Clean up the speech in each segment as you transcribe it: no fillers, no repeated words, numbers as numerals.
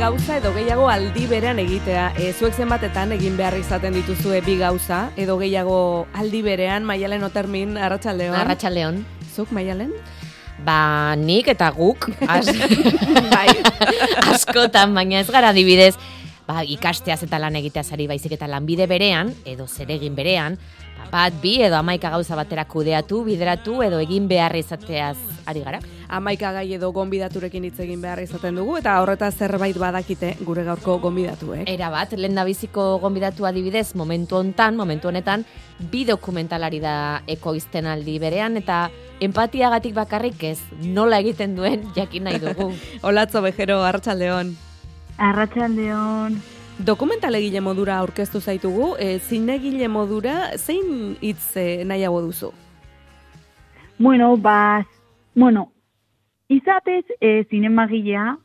gauza edo gehiago aldi berean egitea. Zuek zenbatetan egin behar izaten dituzue bi gauza edo gehiago aldi berean, Maialen Otermin, arratsaldeon. Arratsaldeon. Zuk, Maialen? Ba, nik eta guk, bai, askotan, baina ez gara adibidez, ikasteaz eta lan egiteaz ari baizik eta lanbide berean, edo zeregin berean, bat, bi edo 11 gauza batera kudeatu, bideratu edo egin behar izateaz ari gara. 11 gai edo gonbidaturekin hitz egin behar izaten dugu, eta horretaz zerbait badakite gure gaurko gonbidatuek. Era bat, lehendabiziko gonbidatu adibidez, momentu honetan, bi dokumentalari da ekoizten aldi berean, eta empatiagatik bakarrik ez, nola egiten duen jakin nahi dugu. Olatzo Bejero, arratsaldeon. Arratsaldeon. Dokumentalegile modura aurkeztu zaitugu, zinegile modura zein hitz nahiago duzu? Izatez zinemagilea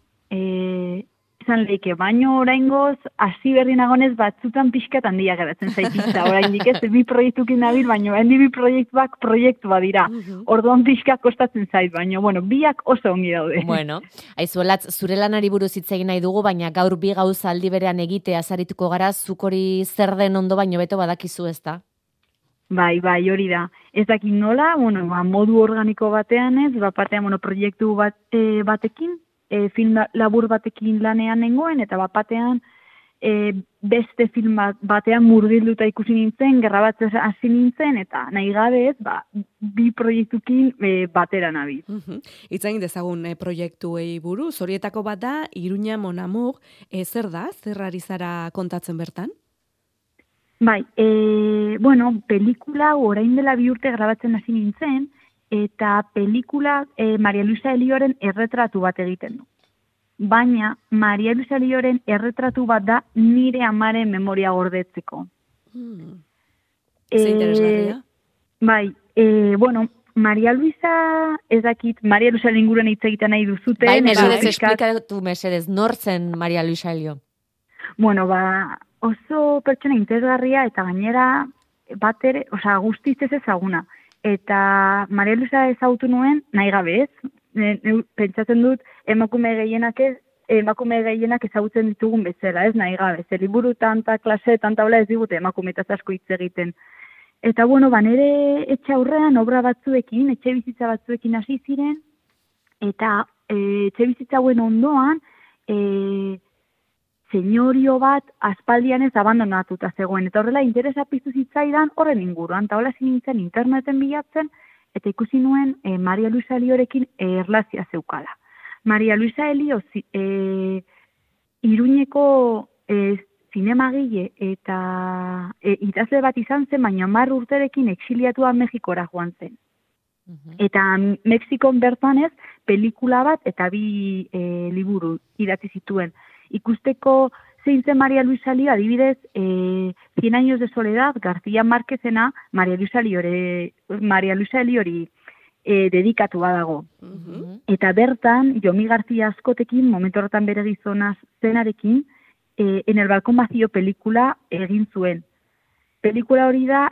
izan leike, baino oraingoz hasi berri nagonez batzutan pixkat handia geratzen zaititza. Oraindik ez bi proiektukin nabil, baino bi proiektuak proiektua dira. Orduan pixkat kostatzen zait, baino biak oso ongi daude. Bueno, aizuelatz, zure lanari buruz hitz egin nahi dugu, baina gaur bi gauza aldi berean egitea sarituko gara, zuk hori zer den ondo baino beto badakizu, ezta? Bai, hori da. Ez dakit nola, modu organiko batean ez, batean proiektu batekin, film labur batekin lanean nengoen, eta batean beste film batean murgilduta ikusi nintzen, grabatzen hasi nintzen, eta nahi gabe ez, bi proiektukin batera nabil. Hitz egin dezagun proiektuei buruz, horietako bat da, Iruña Mon Amour, zer da, zer ari zara kontatzen bertan? Bai, pelikula orain dela 2 urte grabatzen hasi nintzen, eta pelikula Maria Luisa Elioren erretratu bat egiten du. Baina, Maria Luisa Elioren erretratu bat da nire amaren memoria gordetzeko. Ze interesgarria? Bai, Maria Luisa, ez dakit, Maria Luisa inguruan hitz egiten nahi duzuten. Bai, mesedez, esplikatu mesedez, nortzen Maria Luisa Elio? Oso pertsona interesgarria eta gainera batere, guztiz ez ezaguna. Eta Maria Luisa ezagutu nuen nahi gabe ez. Pentsatzen dut emakume gehienak ezagutzen ditugun bezala, ez nahi gabe. Zer liburu tanta klase, tanta hola ez digute emakumetaz asko hitz egiten. Eta nire etxe aurrean obra batzuekin, etxe bizitza batzuekin hasi ziren, eta etxe bizitza hauen ondoan, senyorio bat aspaldian ez abandonatuta zegoen. Eta horrela interesa piztu zitzaidan horren inguruan. Eta hola nintzen interneten bilatzen, eta ikusi nuen Maria Luisa Eliorekin erlazia zeukala. Maria Luisa Elio Iruñeko zinemagile eta idazle bat izan zen, baina 10 urterekin exiliatua Mexikora joan zen. Eta Mexikon bertan ez, pelikula bat eta 2 liburu idatzi zituen. Ikusteko zein zen Maria Luisa Elio, adibidez, 100 años de soledad, García Márquezena, Maria Luisa Eliori dedikatu badago. Eta bertan, Jomi García Askotekin, momentu horretan bere gizona zenarekin, En el balcón vacío pelikula egin zuen. Pelikula hori da,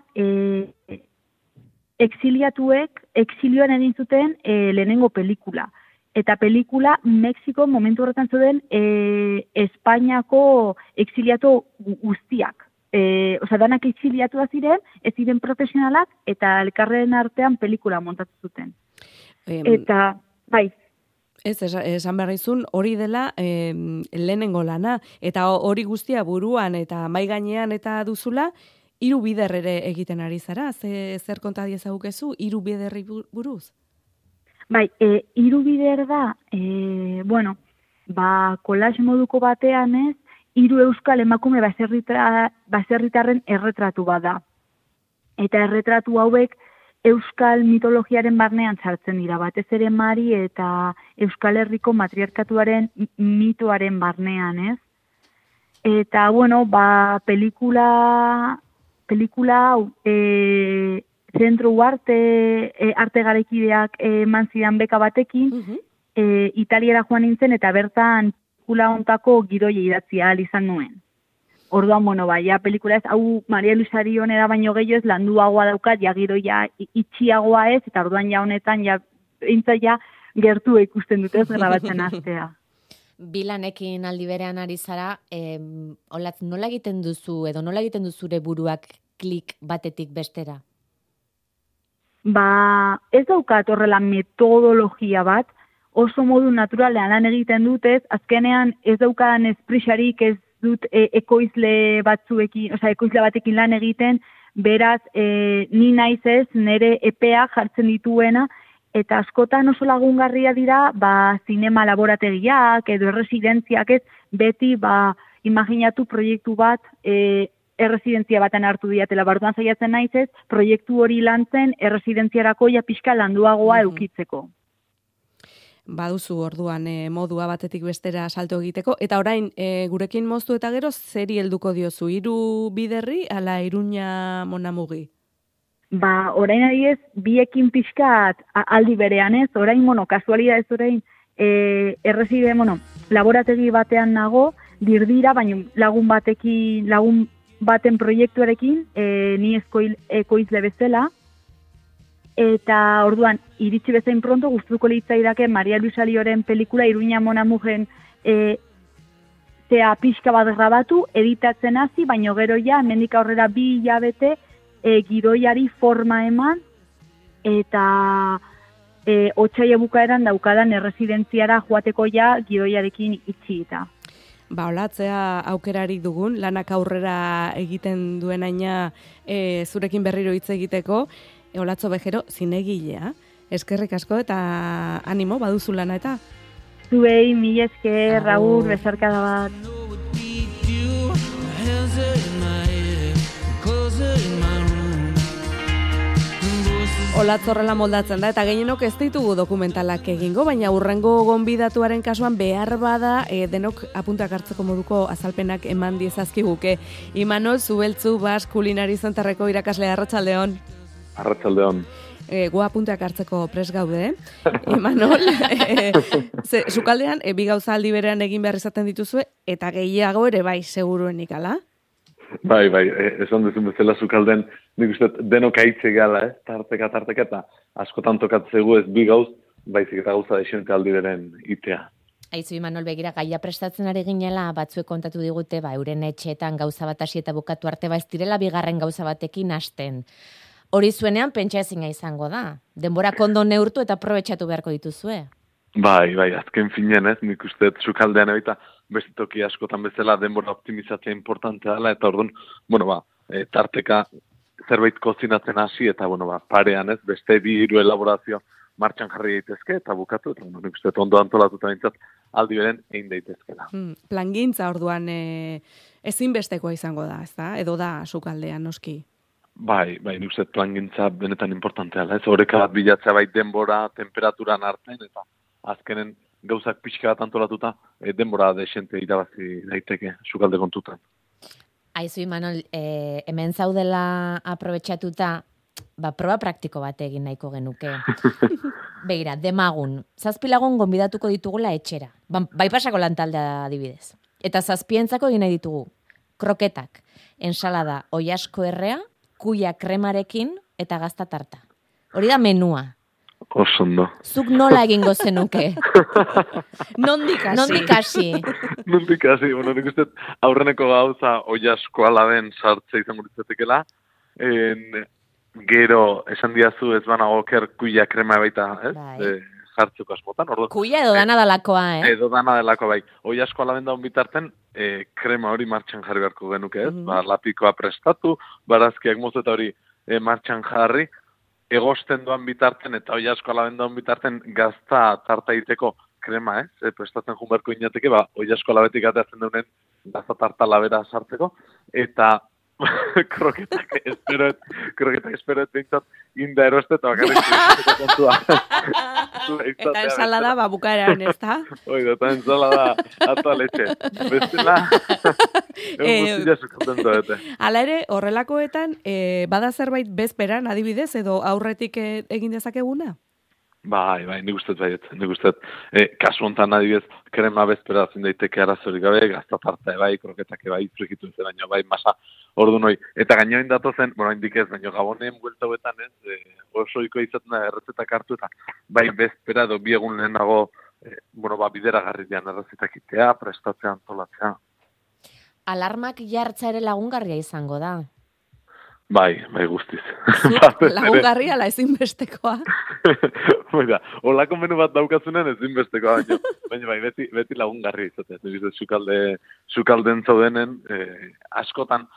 exilioan egin zuten lehenengo pelikula. Eta pelikula Mexiko momentu horretan zuden Espainiako exiliatu guztiak. Danak exiliatua ziren, ez ziren profesionalak, eta elkarren artean pelikula montatu zuten. Eta, bai. Ez, esan behar izun, hori dela lehenengo lana, eta hori guztia buruan eta mai gainean eta duzula, 3 bider ere egiten ari zara, zer konta diezagukezu, 3 biderri buruz? Bai, 3 bider da, kolaz moduko batean ez, 3 euskal emakume baserritarren erretratu bada. Eta erretratu hauek euskal mitologiaren barnean sartzen dira, batez ere Mari eta Euskal Herriko matriarkatuaren mitoaren barnean, ez? Eta, pelikula hau, Zentro arte garaikideak eman zidan beka batekin, Italiara joan nintzen eta bertan pelikula hontako gidoia idatzi ahal izan nuen. Orduan, pelikula ez, hau Maria Luisa Elionera baino gehiago ez, landuagoa daukat, gidoia itxiagoa ez, eta orduan honetan, gertu ikusten dute ez grabatzen hastea. Bilanekin aldi berean ari zara, Olatz, nola egiten duzu edo nola egiten duzure buruak klik batetik bestera? Ez daukat horrela metodologia bat, oso modu naturalean lan egiten dutez, azkenean ez daukadan esprixarik, ez dut ekoizle batekin lan egiten, beraz, ni naiz ez, nire epea jartzen dituena, eta askotan oso lagungarria dira, zinema laborategiak edo erresidentziak ez, beti, imaginatu proiektu bat, erresidentzia baten hartu diatela, barduan saiatzen naiz ez, proiektu hori lantzen erresidentziarako pixka landuagoa eukitzeko. Baduzu orduan modua batetik bestera salto egiteko, eta orain gurekin moztu eta gero zeri helduko diozu, Hiru Biderri ala Iruña Monamugi? Orain adibidez, biekin pixkat aldi berean ez, orain, kasualidad ez orain, laborategi batean nago, dirdira, baina lagun baten proiektuarekin, ni ekoizle bezala, eta orduan, iritsi bezain pronto, gustuko litzaidake Maria Luisa Lioren pelikula Iruña Monamugen pixka bat grabatu, editatzen hasi, baina gero hemendik aurrera 2 hilabete, gidoiari forma eman, eta otsaila bukaeran daukadan erresidentziara joateko gidoiarekin itxita. Olatzea aukerarik dugun, lanak aurrera egiten duenaina zurekin berriro hitz egiteko, Olatzo Bejero, zinegilea. Eskerrik asko eta animo, baduzu lana eta? Zuei, mila esker, Raúl, bezarkada bat. Olatz horrela moldatzen da, eta gehienok ez ditugu dokumentalak egingo, baina hurrengo gonbidatuaren kasuan behar bada denok apuntak hartzeko moduko azalpenak eman diezazkiguke. Imanol Zubeltzu, Bas Kulinari Zenterreko irakasle, arratsaldeon. Arratsaldeon. Gu apuntak hartzeko prest gaude, Imanol. Sukaldean, 2 gauza aldi berean egin behar izaten dituzue, eta gehiago ere bai, seguruenik, ala? Bai, esan duzun bezala sukalden, nik uste denok aitze gala, tarteka, eta askotan tokatzegu ez 2 gauz, baizik eta gauza desionte aldi beren itea. Aizu, Imanol, begira, gaia prestatzen ari ginela, batzuek kontatu digute, euren etxeetan gauza bat hasi eta bukatu arte, ez direla bigarren gauza batekin hasten. Hori zuenean pentsa ezina izango da. Denbora kondo neurtu eta aprobetxatu beharko dituzue. Bai, azken finean ez, nik uste sukaldean eta beste toki askotan bezala denbora optimizatzea importantea dela, eta orduan, tarteka zerbait kozinatzen hasi, eta parean ez, beste 2-3 elaborazio martxan jarri daitezke, eta bukatu, eta nik uste ondo antolatuta bintzat, aldi beren egin daitezkela. Plangintza orduan ezinbestekoa izango da, ezta? Edo da sukaldean noski? Bai, nik uste plangintza benetan importantea da, ez horreka bat bilatzea bai denbora, temperaturan hartzen, eta azkenen gauzak pixka bat antolatuta, denbora desente irabazi daiteke sukalde kontutan. Aizu, Imanol, hemen zaudela aprobetxatuta, proba praktiko bat egin nahiko genuke. Begira, demagun, 7 lagun gonbidatuko ditugula etxera. Bai pasako lantaldea adibidez. Eta 7entzako egin nahi ditugu. Kroketak, ensalada, oiasko errea, kuia kremarekin eta gazta tarta. Hori da menua. Osondo. Zuk nola egingo zenuke? Nondik hasi? Nik uste aurreneko gauza oiasko alaben sartze izango ditzatekela. Gero, esan diazu ez banago oker kuia krema baita, ez? Jartzeko asmotan. Kuia edo dana dalakoa, Edo dana dalakoa, bai. Oiasko alaben daun bitarten, krema hori martxan jarri beharko genuke, ez? Lapikoa prestatu, barazkiak mozu eta hori martxan jarri, egosten doan bitarten eta oiasko alaben daun bitarten gazta tarta egiteko krema, ez? Prestatzen junberko inateke, oiasko alabetik ateatzen duenen gazta tarta labera sartzeko, eta kroketak esperoet bintzat inda eroste eta bakarrik kontua. Eta ensalada bukaeran, ez da? Oida, eta ensalada ato aletxe. Bestela, guztia sukatzen dute. Hala ere, horrelakoetan, bada zerbait bezperan, adibidez, edo aurretik egin dezakeguna? Bai, nik uste baiet. Kasu hontan adibidez, krema bezpera zin daiteke arazorik gabe, gazta tarta bai, kroketak bai, frikitu zen, baina bai, masa, ordu noi. Eta gainoin datozen, indik ez, baina gabonen buelta huetan ez, osoiko izaten da errezetak hartu, eta bai bezpera edo 2 egun lehenago bideragarrian errezitak itea, prestatzea, antolatzea. Alarmak jartza ere lagungarria izango da. Bai, guztiz. Lagungarria ala ezinbestekoa. Baina, holako menu bat daukatzunen ezinbestekoa, baina bai, beti lagungarria izatea. Sukalden zaudenen, askotan,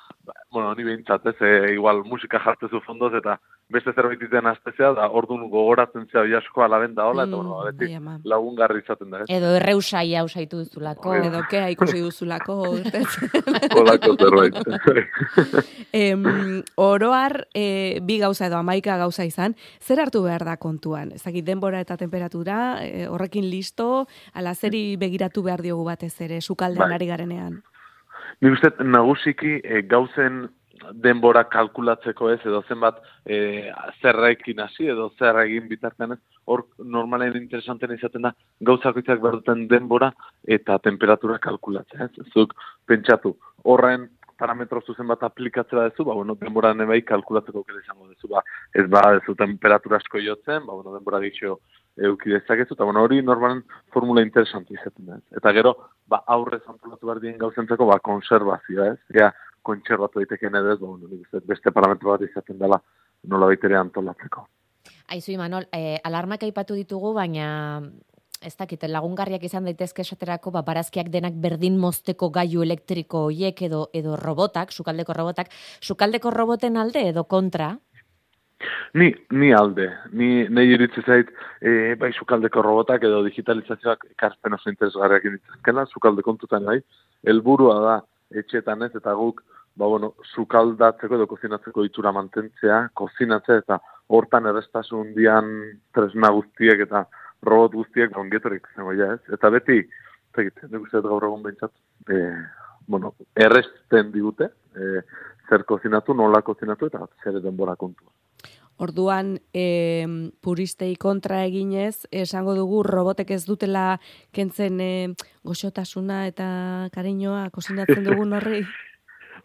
honi behintzat, igual musika jartzezu fondoz, eta beste zerbait izan aztezea, da ordun gogoratzen zea asko alaben da hola, eta beti lagungarri izaten da. Edo erreusaia usaitu duzulako. Edo kea ikusi duzulako. Holako zerbait. Oroar, bi gauza edo 11 gauza izan, zer hartu behar da kontuan? Ezakit denbora eta temperatura, horrekin listo, ala zeri begiratu behar diogu batez ere, sukaldean ari garenean? Nik uste, nagusiki gauzen denbora kalkulatzeko ez, edo zenbat zerrekin hasi, edo zerra egin bitartean ez, hor normalen interesanten izaten da, gauzakoitzak behar duten denbora eta temperatura kalkulatzea ez. Zuk pentsatu, horren parametro zuzen bat aplikatzera dezu, denbora nebai kalkulatzeko kere izango dezu, ez dezu temperatura asko jotzen, denbora gitxo euki dezakezu, eta hori normalen formula interesanti izaten da. Eta gero, aurrez antolatu behar dien gauzentzeko, konservazioa ez, kontserbatu daiteken edo ez, beste parametro bat izaten dela nola baitere antolatzeko. Aizu, Imanol, alarmak aipatu ditugu, baina ez dakit, lagungarriak izan daitezke esaterako, barazkiak denak berdin mozteko gailu elektriko hoiek edo robotak, sukaldeko roboten alde edo kontra? Ni alde. Nei iritzi zait, bai sukaldeko robotak edo digitalizazioak ekarpen oso interesgarriak ditzazkela, sukalde kontutan gai. Helburua da etxetan ez, eta guk, sukaldatzeko edo kozinatzeko itura mantentzea, kozinatzea eta hortan errestasun dian tresna guztiek eta robot guztiek ongetorik zengo ja ez. Eta beti, nik uste gaur egun behintzat, erresten digute, zer kozinatu, nola kozinatu eta zer denbora kontua. Orduan, puristei kontra eginez, esango dugu robotek ez dutela kentzen goxotasuna eta kariñoa kozinatzen dugun horri?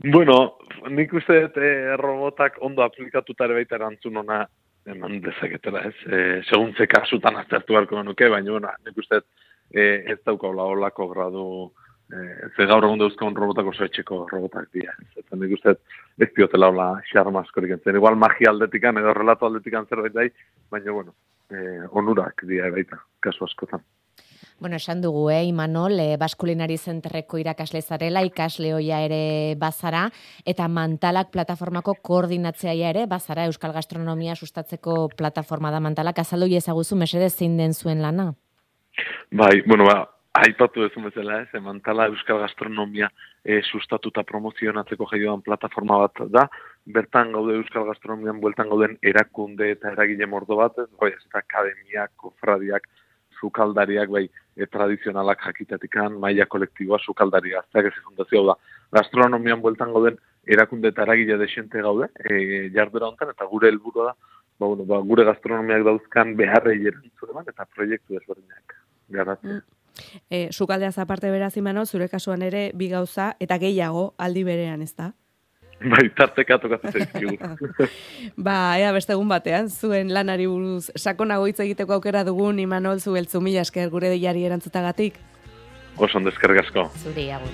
Nik uste robotak ondo aplikatuta ere baita erantzun ona eman dezaketela, ez? Segun ze kasutan aztertu beharko nuke, baina nik uste ez daukaula holako gradu, ze gaur egun dauzkaun robotak oso etxeko robotak dira. Eta nik uste ez diotela hola xarma askorik entzen. Igual magia aldetikan edo relato aldetikan zerbait dai, baina onurak dira baita, kasu askotan. Esan dugu, Imanol, Baskulinari Zenterreko irakasle zarela, ikasle hoia ere bazara, eta Mantalak plataformako koordinatzailea ere bazara, Euskal Gastronomia sustatzeko plataforma da Mantalak. Azaldu ezaguzu mesedez zein den zuen lana? Bai, aipatu ez bezala ez, Mantala Euskal Gastronomia sustatuta promozionatzeko jaioan plataforma bat da, bertan gaude Euskal Gastronomian bueltan gauden erakunde eta eragile mordo bat, eta akademiak, kofradiak, sukaldariak, tradizionalak jakitetikan, maila kolektiboa, sukaldari gazteak ez fundazioa da. Gastronomian bueltan gauden erakunde eta eragile desente gaude, jardura honetan, eta gure helburua da, gure gastronomiak dauzkan beharrei erantzun eman, eta proiektu ezberdinak garatzea. Sukaldeaz aparte beraz, Imanol, zure kasuan ere bi gauza eta gehiago aldi berean, ez da? Tarteka tokatzen zaizkigu. Ea beste egun batean, zuen lanari buruz sakonago hitz egiteko aukera dugun, Imanol, zu beltzu, mila esker gure deiari erantzutagatik. Oso ondo eskerrik asko. Zuri, agur.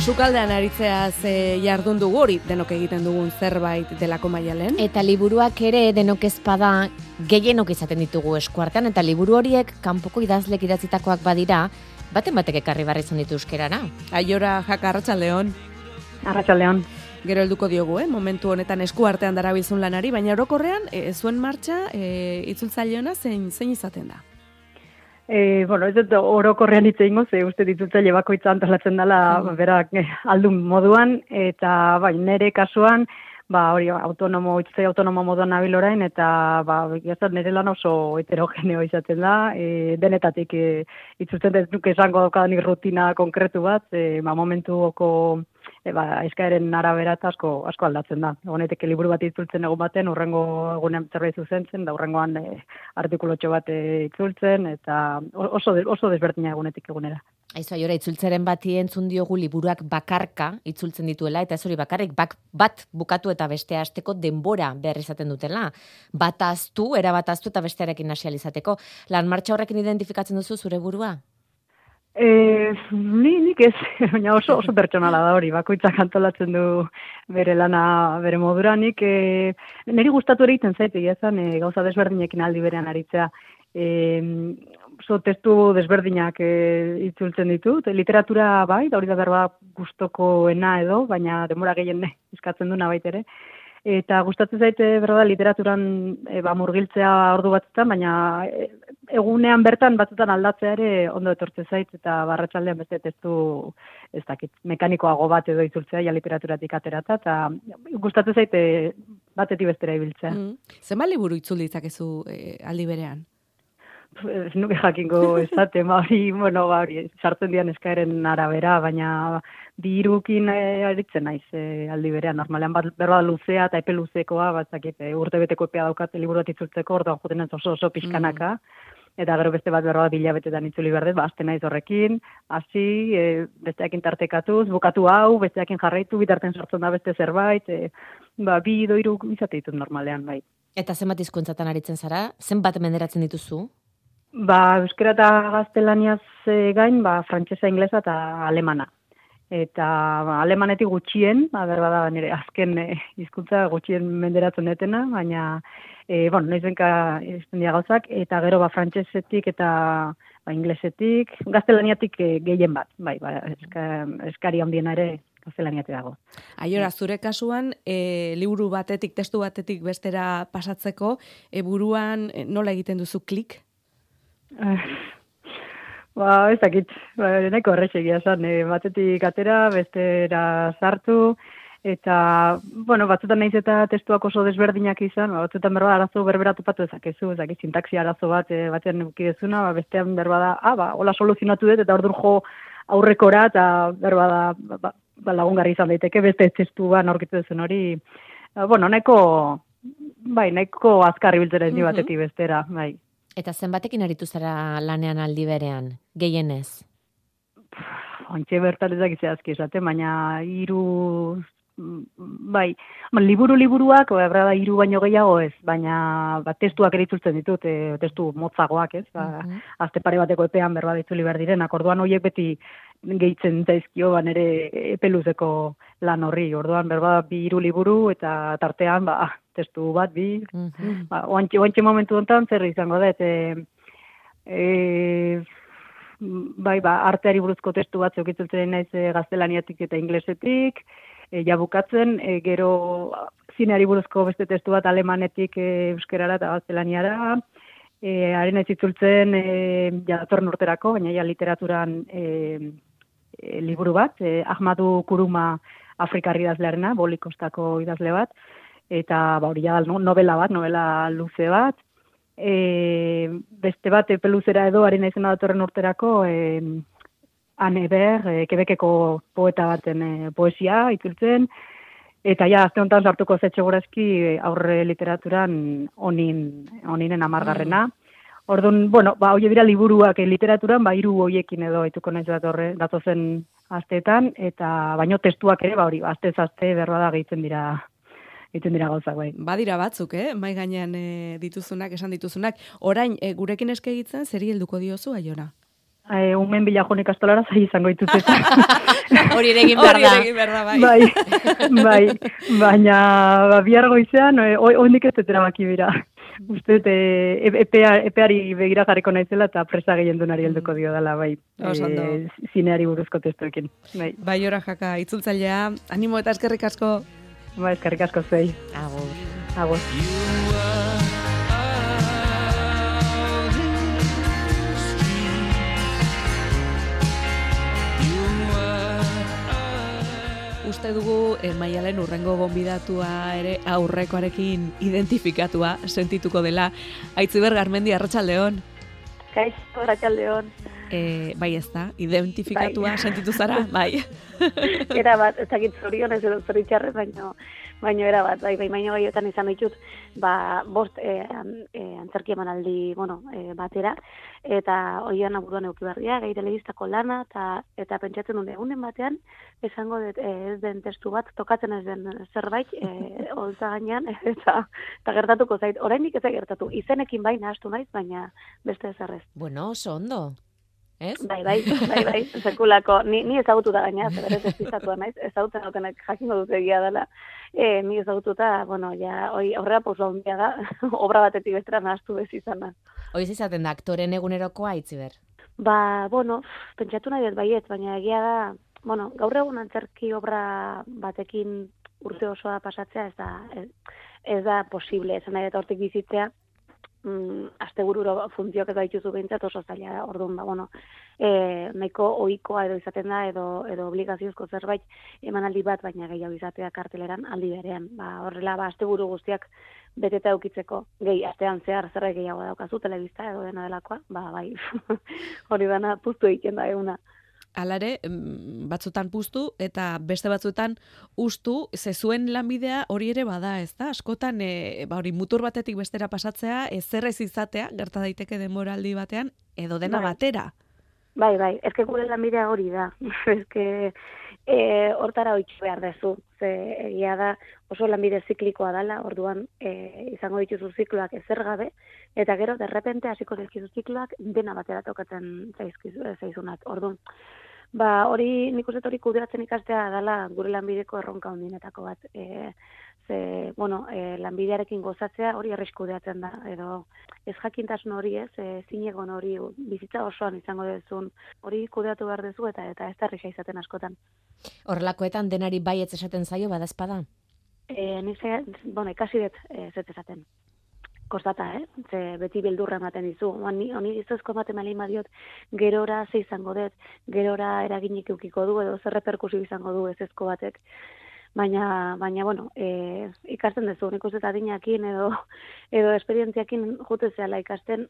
Sukaldean aritzeaz jardun dugu, hori denok egiten dugun zerbait delako maialen. Eta liburuak ere denok ezpada gehienok izaten ditugu eskuartean, eta liburu horiek kanpoko idazlek idatzitakoak badira, baten batek ekarri barri izan ditu euskerara. Aiora Jaka, arratsaldeon. Arratsaldeon. Gero helduko diogu, momentu honetan eskuartean darabilzun lanari, baina orokorrean zuen martxa itzultzaileona zein izaten da? Ez dut orokorrean hitz egingo, ze uste ditutzaile bakoitza antolatzen dela berak aldun moduan, eta nire kasuan, hitz autonomo moduan nabil orain, eta nire lan oso heterogeneo izaten da, denetatik itzultzen ez duke esango daukadan rutina konkretu bat, momentuoko eskaeren arabera eta asko aldatzen da. Honetek liburu bat itzultzen egun baten, urrengo egunean zerbait zuzentzen, da urrengoan artikulotxo bat itzultzen, eta oso desberdina egunetik egunera. Aizu, aiora, itzultzaren bati entzun diogu liburuak bakarka itzultzen dituela, eta ez hori bakarrik bat bukatu eta bestea hasteko denbora behar izaten dutela. Bat aztu eta bestearekin hasi izateko. Lan martxa horrekin identifikatzen duzu zure burua? Nik ez, baina oso pertsonala da hori, bakoitzak antolatzen du bere lana bere modura. Niri gustatu egiten zait, gauza desberdinekin aldi berean aritzea. Testu desberdinak itzultzen ditut, literatura bai, da hori da berba gustokoena edo, baina denbora gehien eskatzen duna baita ere. Eta gustatzen zaite berda literaturan murgiltzea ordu batzutan, baina egunean bertan batzutan aldatzea ere ondo etortze zait, eta barratsaldean beste testu ez dakit, mekanikoago bat edo itzultzea ja literaturatik aterata, eta gustatzen zaite batetik bestera ibiltzea. Zenbat liburu itzul ditzakezu aldi berean? Ez nuke jakingo esaten, hori, sartzen dian eskaeren arabera, baina dirukin aritzen naiz aldi berean. Normalean berba luzea eta epe luzekoa, urte beteko epea daukate liburu bat itzultzeko, orduan juten ez oso pixkanaka, eta gero beste bat berba bilabetetan itzuli berdez, hasten naiz horrekin, hasi, besteakin tartekatuz, bukatu hau, besteakin jarraitu, bitarten sortzen da beste zerbait, 2 hiru izate ditut normalean, bai. Eta zenbat hizkuntzatan aritzen zara? Zenbat menderatzen dituzu? Euskera eta gaztelaniaz gain, frantsesa, inglesa eta alemana. Eta alemanetik gutxien, da nire azken hizkuntza gutxien menderatzen detena, baina, noiz benka izten dira gauzak, eta gero frantsesetik eta inglesetik, gaztelaniatik gehien bat, eskari handiena ere gaztelaniatik dago. Aiora, zure kasuan, liburu batetik, testu batetik bestera pasatzeko, buruan nola egiten duzu klik? Ez dakit, nahiko horretxegia esan, batetik atera, bestera sartu, eta, batzutan nahiz eta testuak oso desberdinak izan, batzutan berba arazo berberatu patu ezakezu, sintaxia arazo batean eukidezuna, bestean berba da, hola soluzionatu dut, eta orduan jo aurrekora, eta berba da, lagungarri izan daiteke, beste testuan aurkitu duzun hori, nahiko azkarri biltzera ez batetik bestera, bai. Eta zenbatekin aritu zara lanean aldi berean, gehienez? Ontxe bertan ezak izazki esate, baina liburuak, berda 3 baino gehiago ez, baina testuak ere itzultzen ditut, testu motzagoak ez, azte pare bateko epean berba itzuli behar direnak, orduan horiek beti gehitzen zaizkio ere epeluzeko lan horri, orduan berba 2 liburu eta tartean testu bat, 2, oantxe momentu honetan zer izango da, arteari buruzko testu bat zeukitzen naiz gaztelaniatik eta inglesetik, bukatzen, gero zineari buruzko beste testu bat alemanetik euskerara eta gaztelaniara, haren ez itzultzen datorren urterako, baina literaturan liburu bat, Ahmadu Kuruma Afrikar idazlearena, Bolikostako idazle bat, eta hori novela luze bat, beste bat peluzera edo haren izena datorren urterako, Anne Ber, Quebeceko poeta baten poesia itzultzen, eta azte honetan sartuko zetxegorazki aurre literaturan oninen 10. Orduan, hori dira liburuak literaturan, 3 horiekin edo haituko naiz datozen asteetan, eta baino testuak ere, azte berba da gehitzen dira gauzak, bai. Badira batzuk, mai gainean dituzunak, esan dituzunak. Orain, gurekin eske egitzen, zeri helduko diozu, Aiora? Umen bilajon ikastolara zai izango dituzet. Hori ere egin behar da. Bai. Baina, bihar goizean, oindik ez erabaki bira. Uste, epeari begira jarriko naizela eta presa gehien dunari helduko dio dela, bai. Zineari buruzko testuekin. Bai, Aiora Jaka, itzultzailea, animo eta eskerrik asko. Eskerrik asko zei. Agur. Uste dugu Maialen urrengo gonbidatua ere aurrekoarekin identifikatua sentituko dela. Aitziber Garmendi, arratsaldeon. Kaixo, arratsaldeon. bai ez da, identifikatua sentitu zara, bai. Era bat, ez dakit zorionez edo zoritxarrez, baino era bat, bai, baino gaiotan izan ditut, bost antzerki emanaldi, batera, eta oian aburuan eukibarria, gai telebistako lana, eta pentsatzen dut egunen batean, esango dut ez den testu bat, tokatzen ez den zerbait, holtza gainean, eta gertatuko zait, oraindik ez da gertatu, izenekin bai nahastu naiz, baina beste ezerrez. Bueno, oso ondo. Ez? Bai, sekulako, ni ezagututa gaina, zeberez ez pizatua naiz, ezagutzen hautenek jakingo dut egia dela, ni ezagututa, ja, horrela pausa handia da, obra batetik bestera nahastu bez izana. Hoiz izaten da, aktoren egunerokoa, Itziber? Pentsatu nahi dut baiet, baina egia da, gaur egun antzerki obra batekin urte osoa pasatzea ez da posible, esan nahi eta hortik bizitzea, astebururo funtzioak ez baituzu behintzat oso zaila da, orduan, nahiko ohikoa edo izaten da, edo obligaziozko zerbait emanaldi bat, baina gehiago izatea karteleran aldi berean. Horrela, asteburu guztiak beteta eukitzeko, astean zehar zerbait gehiago daukazu, telebista edo dena delakoa, bai, hori dana puztu egiten da eguna. Alare, batzutan puztu eta beste batzuetan ustu, zuen lanbidea hori ere bada, ez da? Askotan, hori mutur batetik bestera pasatzea, ezerrez izatea, gerta daiteke denboraldi batean, edo dena batera. Bai, ezke gure lanbidea hori da. Ezke hortara oitzu behar dezu. Ze egia da oso lanbide ziklikoa dela, orduan izango dituzu zikloak ezer gabe, eta gero, derrepente hasiko zaizkizu zikloak dena batera tokatzen zaizunat. Orduan, hori nik uste hori kudeatzen ikastea dela gure lanbideko erronka handinetako bat. Lanbidearekin gozatzea hori arriskudeatzen da, edo ez jakintasun hori ez, zinegon hori bizitza osoan izango dezun, hori kudeatu behar dezu eta ez da erresa izaten askotan. Horrelakoetan denari baietz esaten zaio badazpada? Ikasi dut ez esaten. Kostata, ze beti beldurra ematen dizu. Honi izuzko ematen malin badiot, gerora ze izango dut, gerora eraginik eukiko du, edo zer reperkusio izango du ezezko batek. Baina, ikasten dezu, nik uste adinakin edo esperientziakin jute zehala ikasten,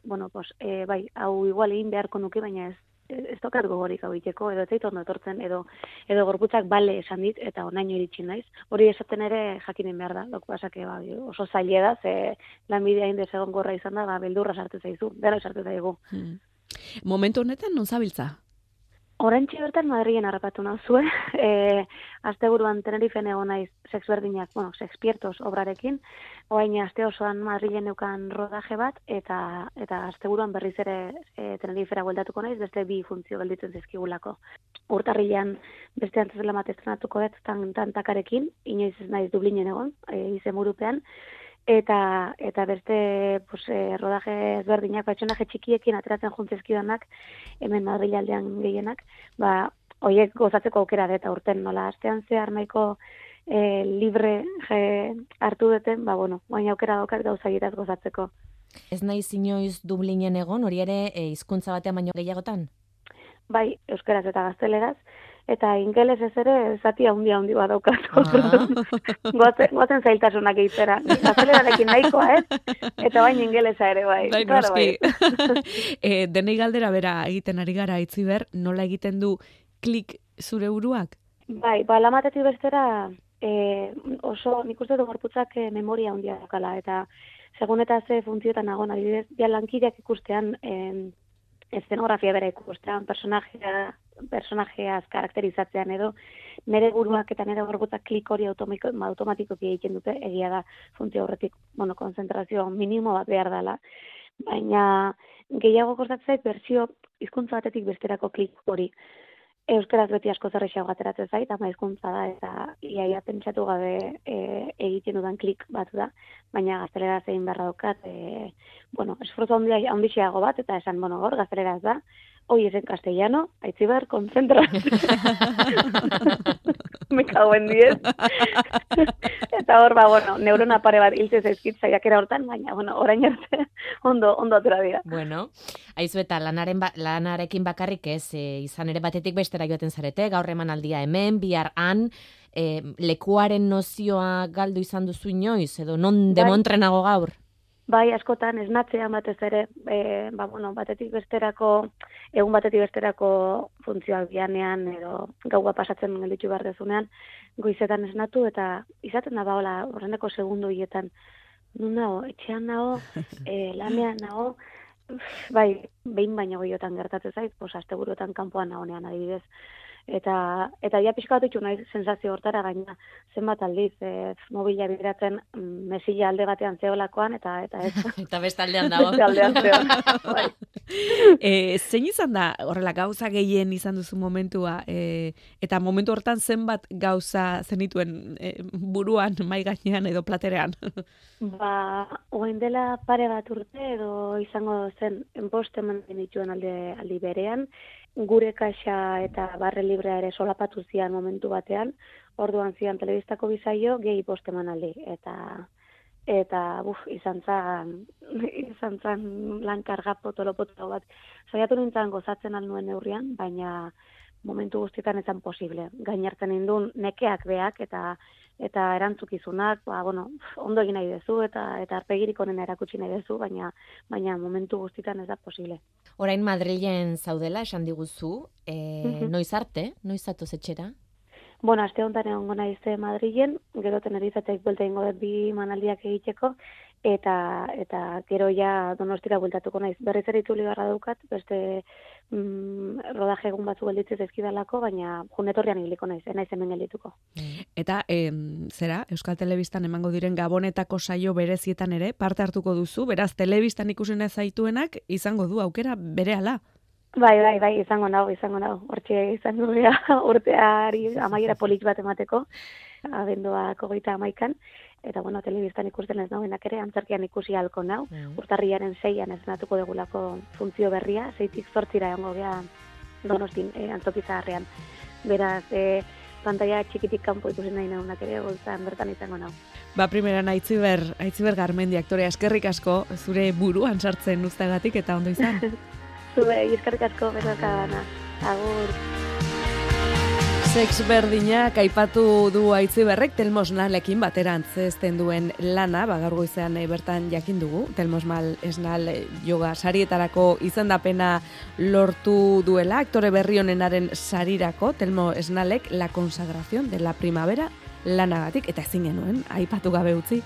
bai, hau igual egin beharko nuke, baina ez tokat gogorik hau iteko, edo ez zait ondo etortzen, edo gorputzak bale esan dit, eta onaino iritsi naiz. Hori esaten ere jakinen behar da, doku pasake oso zaile da, ze lanbidea indezegon gorra izan da, beldurra sartu zaizu, dena sartu zaigu. Momentu honetan, non zabiltza? Oraintxe bertan Madrilen harrapatu nauzue, asteburuan Tenerifen egon naiz sexberdinak, sexpiertos obrarekin, orain aste osoan Madrilen neukan rodaje bat, eta asteburuan berriz ere Tenerifera bueltatuko naiz, beste 2 funtzio gelditzen zaizkigulako. Urtarrilean beste antzezela bat estrenatuko dut tantakarekin, inoiz ez naiz Dublinen egon, izenburupean, eta beste rodaje ezberdinak, pertsonaje txikiekin ateratzen juntzezkidanak, hemen Madrid aldean gehienak, horiek gozatzeko aukera deta urten, nola, astean zehar nahiko libre hartu duten, baina aukera daukat gauzagitaz gozatzeko. Ez naiz inoiz Dublinen egon, hori ere hizkuntza batean baino gehiagotan? Bai, euskaraz eta gazteleraz, eta ingeles ez ere zati handi bat daukat. Goazen zailtasunak egitera. Gaztelerarekin nahikoa, eta baina ingelesa ere, bai. Bai, noski. Denei galdera bera egiten ari gara, Itziber, nola egiten du klik zure buruak? Bai, lamatetik bestera oso, nik uste du gorputzak memoria handia daukala, eta segun eta ze funtzioetan nagon, adibidez, lankideak ikustean, eszenografia bera ikustean, personajeaz karakterizatzean edo, nire buruak eta nire gorputzak klik hori automatikoki egiten dute, egia da funtzio horretik, konzentrazio minimo bat behar dela. Baina gehiago kostatzen zait bertsio hizkuntza batetik besterako klik hori. Euskaraz beti asko zerrexago ateratzen zait, ama hizkuntza da, eta iaia pentsatu gabe egiten dudan klik bat da, baina gazteleraz egin beharra daukat, esforzo handiago bat, eta esan, gaur gazteleraz da, hoy es en castellano, Aitziber, concentra. Me cago en 10. Eta hor, neurona pare bat hiltze zaizkit saiakera hortan, baina, orain arte ondo atera dira. Bueno, aizu eta lanarekin bakarrik ez, izan ere batetik bestera joaten zarete, gaur emanaldia hemen, bihar han, lekuaren nozioa galdu izan duzu inoiz, edo non demontrenago gaur? Bai, askotan esnatzean batez ere, egun batetik besterako funtzioak bianean edo gaua pasatzen gelditu behar dezunean, goizetan esnatu eta izaten da hola horreneko segundu hietan. Nun nago, etxean nago, lanean nago, bai, behin baino gehiotan gertatzen zait, asteburuetan kanpoan nagonean adibidez. Eta ja pixka bat itxu nahi sensazio hortara gaina zenbat aldiz, mobila bideratzen mesilla alde batean zeolakoan, eta ez. Eta bestaldean dago. Bestaldean zeon. Bai. Zein izan da, horrela, gauza gehien izan duzu momentua, eta momentu hortan zenbat gauza zenituen buruan, mai gainean edo platerean? Oain dela pare bat urte edo izango zen 5 eman dituen aldi berean, gure kaxa eta barre librea ere solapatu zian momentu batean, orduan zian telebistako bizaio, gehi 5 eman aldi, eta izan zan lan karga potolo bat. Saiatu nintzen gozatzen alnuen neurrian, baina momentu guztietan ezan posible. Gainartzen nindun nekeak beak eta erantzukizunak, ondo egin nahi dezu eta arpegirik onena erakutsi nahi dezu, baina momentu guztietan ez da posible. Orain Madrilen zaudela, esan diguzu, noiz arte, noiz zatoz etxera? Aste honetan egongo naiz Madrilen, gero Tenerizatek buelta ingo dut 2 manaldiak egiteko, eta gero ja Donostira bueltatuko naiz. Berriz ere itzuli beharra daukat, beste rodaje egun batzu gelditzen ezkidalako, baina junetorrian ibiliko naiz, naiz hemen geldituko. Eta Euskal Telebistan emango diren gabonetako saio berezietan ere parte hartuko duzu, beraz telebistan ikusen ez zaituenak izango du aukera berehala. Bai, izango nau. Hortxe izango dira urteari amaiera polit bat emateko, abenduak 31, eta telebistan ikusten ez nauenak ere, antzerkian ikusi halko nau, urtarriaren 6an eszenatuko degulako funtzio berria, 6tik 8ra egongo gea Donostin antzokizaharrean. Beraz, pantalla txikitik kanpo ikusi nahi nauenak ere, bertan izango nau. Primeran Aitziber Garmendi aktorea, eskerrik asko, zure buruan sartzen uzteagatik eta ondo izan. Zure, eskerrik asko, berokadana. Agur. Sex berdinak aipatu du Aitziberrek Telmosnalekin batera antzezten duen lana, gaur goizean bertan jakin dugu, Telmosnal yoga sarietarako izendapena lortu duela, aktore berri honenaren sarirako, Telmosnalek la consagración de la primavera lanagatik, eta ezin genuen, aipatu gabe utzi.